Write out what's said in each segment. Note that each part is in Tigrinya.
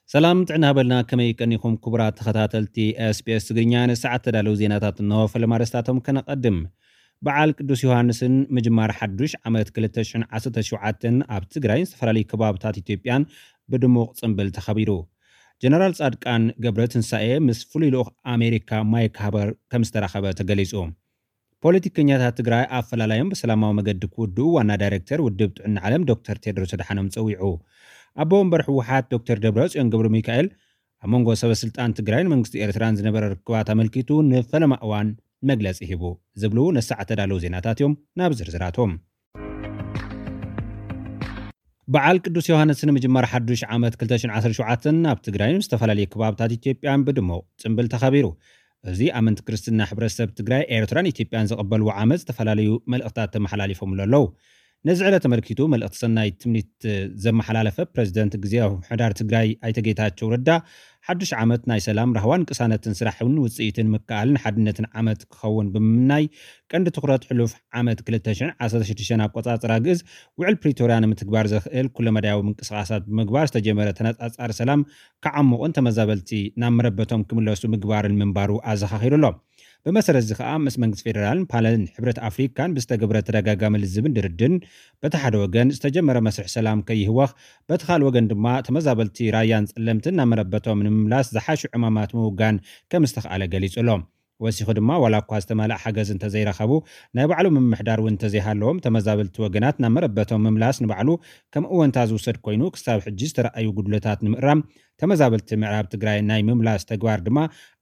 ሰላም ጥዕና ሃበልና፣ ከመይ ቀኒኹም ክቡራት ተኸታተልቲ ኤስቢኤስ ትግርኛ? ንሰዓት ተዳለዉ ዜናታት እንሆ። ፈለማ ኣርእስታቶም ከነቐድም። በዓል ቅዱስ ዮሃንስን ምጅማር ሓዱሽ ዓመት ክልተ ሽሕን ዓሰርተ ሸውዓተን ኣብ ትግራይን ዝተፈላለዩ ከባብታት ኢትዮጵያን ብድሙቕ ጽምብል ተኸቢሩ። ጀነራል ጻድቃን ገብረ ትንሳኤ ምስ ፍሉይ ልኡኽ ኣሜሪካ ማይክ ሃመር ከም ዝተራኸበ ተገሊጹ። ፖለቲከኛታት ትግራይ ኣፈላላዮም ብሰላማዊ መገዲ ክውድኡ ዋና ዳይሬክተር ውድብ ጥዕና ዓለም ዶክተር ቴድሮስ ኣድሓኖም ጸዊዑ። ኣቦ ወንበር ህወሓት ዶክተር ደብረጽዮን ገብረ ሚካኤል ኣብ መንጎ ሰበ ስልጣን ትግራይን መንግስቲ ኤርትራን ዝነበረ ርክባት ኣመልኪቱ ንፈለማ እዋን መግለጺ ሂቡ። ዝብሉ ነሰዓት ተዳለዉ ዜናታት እዮም። ናብ ዝርዝራቶም። በዓል ቅዱስ ዮሃንስ ንምጅማር ሓዱሽ ዓመት ክልተ ሽሕን ዓሰርተ ሸውዓተን ኣብ ትግራይን ዝተፈላለዩ ከባብታት ኢትዮጵያን ብድሙቕ ጽምብል ተኸቢሩ። እዚ ኣመንቲ ክርስትና ሕብረተሰብ ትግራይ፣ ኤርትራን ኢትዮጵያን ዝቕበልዎ ዓመት ዝተፈላለዩ መልእኽታት ተመሓላሊፎምሉ ኣለዉ። ነዚ ዕለት ተመልኪቱ መልእኽቲ ሰናይ ትምኒት ዘመሓላለፈ ፕረዚደንት ግዜያዊ ምምሕዳር ትግራይ ኣይተ ጌታቸው ረዳ፣ ሓዱሽ ዓመት ናይ ሰላም፣ ራህዋን ቅሳነትን ስራሕን ውፅኢትን ምክኣልን ሓድነትን ዓመት ክኸውን ብምምናይ፣ ቀንዲ ትኹረት ሕሉፍ ዓመት ክልተ ሽሕን ዓሰርተ ሽዱሽተን ኣቆጻጽራ ግእዝ ውዕል ፕሪቶርያ ንምትግባር ዘኽእል ኩለመዳያዊ ምንቅስቓሳት ብምግባር ዝተጀመረ ተነጻጻሪ ሰላም ክዓሙቕን ተመዛበልቲ ናብ መረበቶም ክምለሱ ምግባርን ምንባሩ ኣዘኻኺሩ ኣሎ። ብመሰረት እዚ ከኣ ምስ መንግስቲ ፌደራልን ፓነልን ሕብረት ኣፍሪካን ብዝተገብረ ተደጋጋሚ ልዝብን ድርድርን በቲ ሓደ ወገን ዝተጀመረ መስርሕ ሰላም ከይህወኽ፣ በቲ ካልእ ወገን ድማ ተመዛበልቲ ራያን ጸለምትን ናብ መረበቶም ንምምላስ ዝሓሹ ዕማማት ምውጋን ከም ዝተኽኣለ ገሊጹ ኣሎ። ወሲኹ ድማ ዋላ እኳ ዝተማልኣ ሓገዝ እንተዘይረኸቡ፣ ናይ ባዕሉ ምምሕዳር እውን እንተዘይሃለዎም፣ ተመዛበልቲ ወገናት ናብ መረበቶም ምምላስ ንባዕሉ ከም እወንታ ዝውሰድ ኮይኑ፣ ክሳብ ሕጂ ዝተረኣዩ ጉድለታት ንምእራም፣ ተመዛበልቲ ምዕራብ ትግራይ ናይ ምምላስ ተግባር ድማ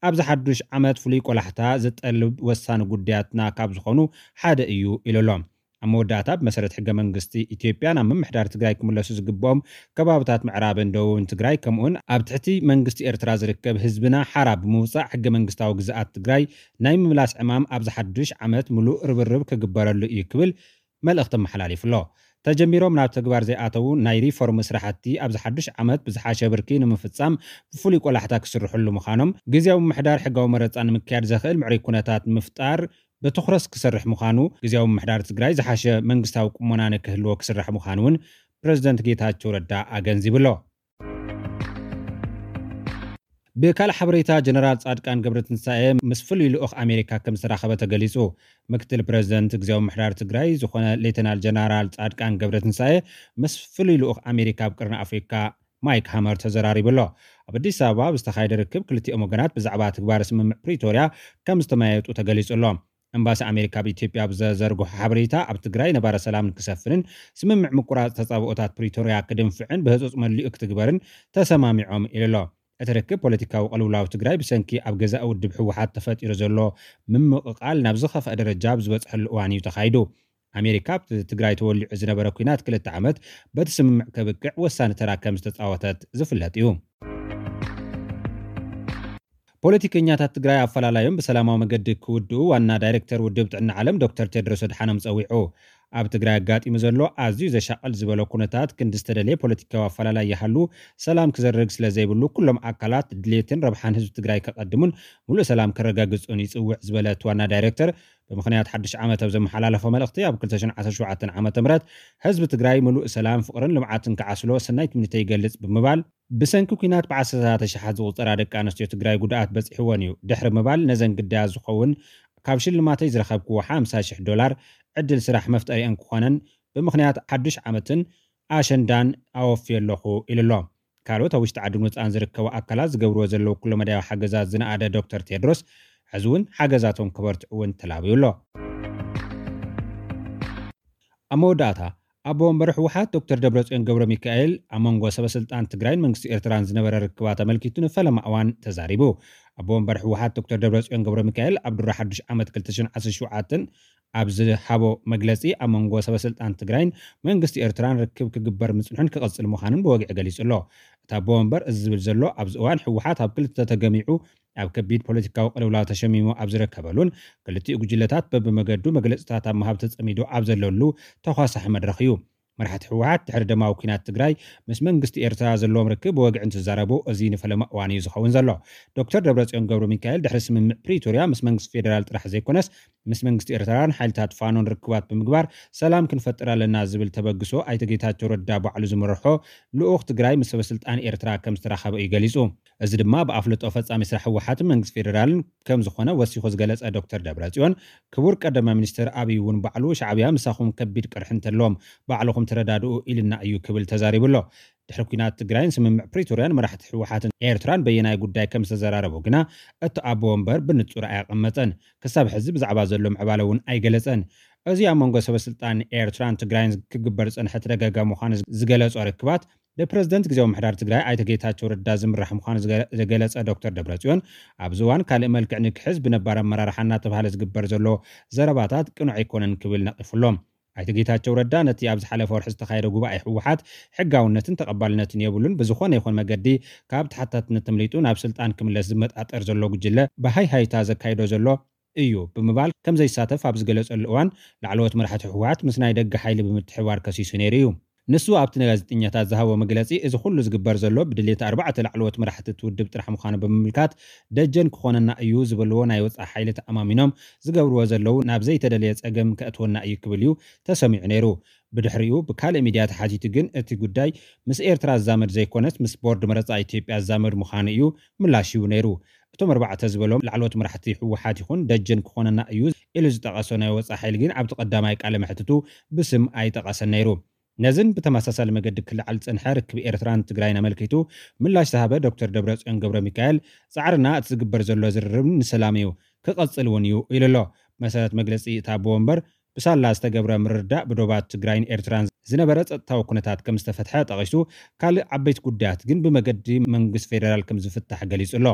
ኣብዚ ሓዱሽ ዓመት ፍሉይ ቆላሕታ ዝጠልብ ወሳኒ ጉዳያትና ካብ ዝኾኑ ሓደ እዩ ኢሉ ኣሎ። ኣብ መወዳእታ ብመሰረት ሕገ መንግስቲ ኢትዮጵያ ናብ ምምሕዳር ትግራይ ክምለሱ ዝግብኦም ከባብታት ምዕራብን ደቡብን ትግራይ ከምኡውን ኣብ ትሕቲ መንግስቲ ኤርትራ ዝርከብ ህዝብና ሓራ ብምውፃእ ሕገ መንግስታዊ ግዝኣት ትግራይ ናይ ምምላስ ዕማም ኣብዚ ሓዱሽ ዓመት ምሉእ ርብርብ ክግበረሉ እዩ ክብል መልእኽቲ ኣመሓላሊፉ ኣሎ። ተጀሚሮም ናብ ተግባር ዘይኣተዉ ናይ ሪፎርም ስራሕቲ ኣብዚ ሓዱሽ ዓመት ብዝሓሸ ብርኪ ንምፍፃም ብፍሉይ ቆላሕታ ክስርሕሉ ምዃኖም፣ ግዝያዊ ምምሕዳር ሕጋዊ መረፃ ንምክያድ ዘኽእል ምዕሩይ ኩነታት ንምፍጣር ብትኹረት ክሰርሕ ምዃኑ፣ ግዝያዊ ምምሕዳር ትግራይ ዝሓሸ መንግስታዊ ቁመና ንክህልዎ ክስራሕ ምዃኑ እውን ፕረዚደንት ጌታቸው ረዳ ኣገንዚቡ ኣሎ። ብካልእ ሓበሬታ፣ ጀነራል ጻድቃን ገብረትንሳኤ ምስ ፍሉይ ልኡኽ ኣሜሪካ ከም ዝተራኸበ ተገሊጹ። ምክትል ፕረዚደንት ግዝያዊ ምምሕዳር ትግራይ ዝኾነ ሌተናል ጀነራል ጻድቃን ገብረትንሳኤ ምስ ፍሉይ ልኡኽ ኣሜሪካ ኣብ ቀርኒ ኣፍሪካ ማይክ ሃመር ተዘራሪቡ ኣሎ። ኣብ ኣዲስ ኣበባ ብዝተኻየደ ርክብ ክልቲኦም ወገናት ብዛዕባ ትግባረ ስምምዕ ፕሪቶርያ ከም ዝተመያየጡ ተገሊጹ ኣሎ። ኤምባሲ ኣሜሪካ ኣብ ኢትዮጵያ ኣብ ዘዘርግሖ ሓበሬታ፣ ኣብ ትግራይ ነባሪ ሰላም ክሰፍንን ስምምዕ ምቁራጽ ተጻብኦታት ፕሪቶርያ ክድንፍዕን ብህጹጽ መሊኡ ክትግበርን ተሰማሚዖም ኢሉ ኣሎ። እቲ ርክብ ፖለቲካዊ ቅልውላው ትግራይ ብሰንኪ ኣብ ገዛኢ ውድብ ህወሓት ተፈጢሩ ዘሎ ምምቕቓል ናብ ዝኸፍአ ደረጃ ኣብ ዝበጽሐሉ እዋን እዩ ተኻይዱ። ኣሜሪካ ኣብቲ ትግራይ ተወሊዑ ዝነበረ ኲናት ክልተ ዓመት በቲ ስምምዕ ከብቅዕ ወሳኒ ተራ ከም ዝተጻወተት ዝፍለጥ እዩ። ፖለቲከኛታት ትግራይ ኣፈላላዮም ብሰላማዊ መገዲ ክውድኡ ዋና ዳይሬክተር ውድብ ጥዕና ዓለም ዶክተር ቴድሮስ ኣድሓኖም ጸዊዑ። ኣብ ትግራይ ኣጋጢሙ ዘሎ ኣዝዩ ዘሻቕል ዝበሎ ኩነታት ክንዲ ዝተደለየ ፖለቲካዊ ኣፈላላይ ይሃሉ፣ ሰላም ክዘርግ ስለ ዘይብሉ ኩሎም ኣካላት ድሌትን ረብሓን ህዝቢ ትግራይ ከቐድሙን ሙሉእ ሰላም ከረጋግጹን ይጽውዕ ዝበለ እቲ ዋና ዳይሬክተር፣ ብምኽንያት ሓድሽ ዓመት ኣብ ዘመሓላለፎ መልእኽቲ፣ ኣብ ክልተ ሽሕን ዓሰርተ ሸውዓተን ዓመተ ምህረት ህዝቢ ትግራይ ምሉእ ሰላም፣ ፍቕርን ልምዓትን ክዓስሎ ሰናይ ትምኒተይ ይገልጽ ብምባል፣ ብሰንኪ ኲናት ብዓሰርተታት ኣሽሓት ዝቑጸራ ደቂ ኣንስትዮ ትግራይ ጉድኣት በጺሕወን እዩ ድሕሪ ምባል፣ ነዘን ግዳያት ዝኸውን ካብ ሽልማተይ ዝረኸብክዎ ሓምሳ ሽሕ ዶላር ዕድል ስራሕ መፍጠሪአን ክኾነን ብምኽንያት ሓዱሽ ዓመትን ኣሸንዳን ኣወፍየ ኣለኹ ኢሉ ኣሎ። ካልኦት ኣብ ውሽጢ ዓድን ወፃእን ዝርከቡ ኣካላት ዝገብርዎ ዘለዉ ኩለመዳያዊ ሓገዛት ዝነኣደ ዶክተር ቴድሮስ፣ ሕዚ እውን ሓገዛቶም ከበርትዑ እውን ተላብዩ ኣሎ። ኣብ መወዳእታ፣ ኣቦ ወንበር ህወሓት ዶክተር ደብረጽዮን ገብረ ሚካኤል ኣብ መንጎ ሰበ ስልጣን ትግራይን መንግስቲ ኤርትራን ዝነበረ ርክባት ኣመልኪቱ ንፈለማ እዋን ተዛሪቡ። ኣቦ ወንበር ህወሓት ዶክተር ደብረጽዮን ገብረ ሚካኤል ኣብ ድሮ ሓዱሽ ዓመት ክልተ ሽሕን ዓሰርተ ሸውዓተን ኣብ ዝሃቦ መግለጺ፣ ኣብ መንጎ ሰበ ስልጣን ትግራይን መንግስቲ ኤርትራን ርክብ ክግበር ምጽንሑን ክቕጽል ምዃኑን ብወግዒ ገሊጹ ኣሎ። እቲ ኣቦ ወንበር እዚ ዝብል ዘሎ ኣብዚ እዋን ህወሓት ኣብ ክልተ ተገሚዑ ኣብ ከቢድ ፖለቲካዊ ቅልውላው ተሸሚሙ ኣብ ዝርከበሉን ክልቲኡ ጉጅለታት በብመገዱ መግለጽታት ኣብ ምሃብ ተጸሚዱ ኣብ ዘለሉ ተኳሳሒ መድረኽ እዩ። መራሕቲ ህወሓት ድሕሪ ደማዊ ኲናት ትግራይ ምስ መንግስቲ ኤርትራ ዘለዎም ርክብ ብወግዒ እንትዛረቡ፣ እዚ ንፈለማ እዋን እዩ ዝኸውን ዘሎ። ዶክተር ደብረጽዮን ገብረ ሚካኤል ድሕሪ ስምምዕ ፕሪቶርያ ምስ መንግስቲ ፌደራል ጥራሕ ዘይኮነስ ምስ መንግስቲ ኤርትራን ሓይልታት ፋኖን ርክባት ብምግባር ሰላም ክንፈጥር ኣለና ዝብል ተበግሶ ኣይተ ጌታቸው ረዳ ባዕሉ ዝመርሖ ልኡኽ ትግራይ ምስ ሰበስልጣን ኤርትራ ከም ዝተራኸበ እዩ ገሊጹ። እዚ ድማ ብኣፍልጦ ፈጻሚ ስራሕ ህወሓትን መንግስቲ ፌደራልን ከም ዝኾነ ወሲኹ ዝገለጸ ዶክተር ደብረጽዮን፣ ክቡር ቀዳማይ ሚኒስትር ኣብይ እውን ባዕሉ ሻዕብያ ምሳኹም ከቢድ ቅርሒ እንተለዎም ባዕልኹም ተረዳድኡ ኢልና እዩ ክብል ተዛሪቡ ኣሎ። ድሕሪ ኲናት ትግራይን ስምምዕ ፕሪቶርያን መራሕቲ ህወሓትን ኤርትራን በየናይ ጉዳይ ከም ዝተዘራረቡ ግና እቲ ኣቦ ወንበር ብንጹር ኣያቐመጠን። ክሳብ ሕዚ ብዛዕባ ዘሎ ምዕባለ እውን ኣይገለጸን። እዚ ኣብ መንጎ ሰበስልጣን ኤርትራን ትግራይን ክግበር ዝጸንሐ ተደጋጋሚ ምዃኑ ዝገለጾ ርክባት ብፕረዚደንት ግዜያዊ ምምሕዳር ትግራይ ኣይተ ጌታቸው ረዳ ዝምራሕ ምዃኑ ዝገ- ዝገለጸ ዶክተር ደብረጽዮን፣ ኣብዚ እዋን ካልእ መልክዕ ንክሕዝ ብነባር ኣመራርሓ እናተባህለ ዝግበር ዘሎ ዘረባታት ቅኑዕ ኣይኮነን ክብል ነቒፉ ኣሎ። ኣይተ ጌታቸው ረዳ ነቲ ኣብ ዝሓለፈ ወርሒ ዝተኻየደ ጉባኤ ህወሓት ሕጋውነትን ተቐባልነትን የብሉን፣ ብዝኾነ ይኹን መገዲ ካብ ተሓታትነት ተምሊጡ ናብ ስልጣን ክምለስ ዝመጣጠር ዘሎ ጉጅለ ብሃይሃይታ ዘካይዶ ዘሎ እዩ ብምባል ከም ዘይሳተፍ ኣብ ዝገለጸሉ እዋን፣ ላዕለዎት መራሕቲ ህወሓት ምስ ናይ ደገ ሓይሊ ብምትሕብባር ከሲሱ ነይሩ እዩ። ንሱ ኣብቲ ንጋዜጠኛታት ዝሃቦ መግለጺ፣ እዚ ኩሉ ዝግበር ዘሎ ብድሌት ኣርባዕተ ላዕለዎት መራሕቲ እቲ ውድብ ጥራሕ ምዃኑ ብምምልካት፣ ደጀን ክኾነና እዩ ዝበልዎ ናይ ወጻኢ ሓይሊ ተኣማሚኖም ዝገብርዎ ዘለዉ ናብ ዘይተደለየ ጸገም ከእትወና እዩ ክብል እዩ ተሰሚዑ ነይሩ። ብድሕሪኡ ብካልእ ሚድያ ተሓቲቱ ግን እቲ ጉዳይ ምስ ኤርትራ ዝዛመድ ዘይኮነስ ምስ ቦርድ መረጻ ኢትዮጵያ ዝዛመድ ምዃኑ እዩ ምላሽ ሂቡ ነይሩ። እቶም ኣርባዕተ ዝበሎም ላዕለዎት መራሕቲ ህወሓት ይኹን ደጀን ክኾነና እዩ ኢሉ ዝጠቐሶ ናይ ወጻኢ ሓይሊ ግን ኣብቲ ቀዳማይ ቃለ መሕትቱ ብስም ኣይጠቐሰን ነይሩ። ነዝን ብተመሳሳሊ መገዲ ክለዓል ዝጸንሐ ርክብ ኤርትራን ትግራይን ኣመልኪቱ ምላሽ ዝሃበ ዶክተር ደብረጽዮን ገብረ ሚካኤል፣ ጻዕርና እቲ ዝግበር ዘሎ ዝርርብ ንሰላም እዩ፣ ክቐጽል እውን እዩ ኢሉ ኣሎ። መሰረት መግለጺ እቲ ኣቦ ወንበር፣ ብሳላ ዝተገብረ ምርድዳእ ብዶባት ትግራይን ኤርትራን ዝነበረ ጸጥታዊ ኩነታት ከም ዝተፈትሐ ጠቒሱ፣ ካልእ ዓበይቲ ጉዳያት ግን ብመገዲ መንግስቲ ፌደራል ከም ዝፍታሕ ገሊጹ ኣሎ።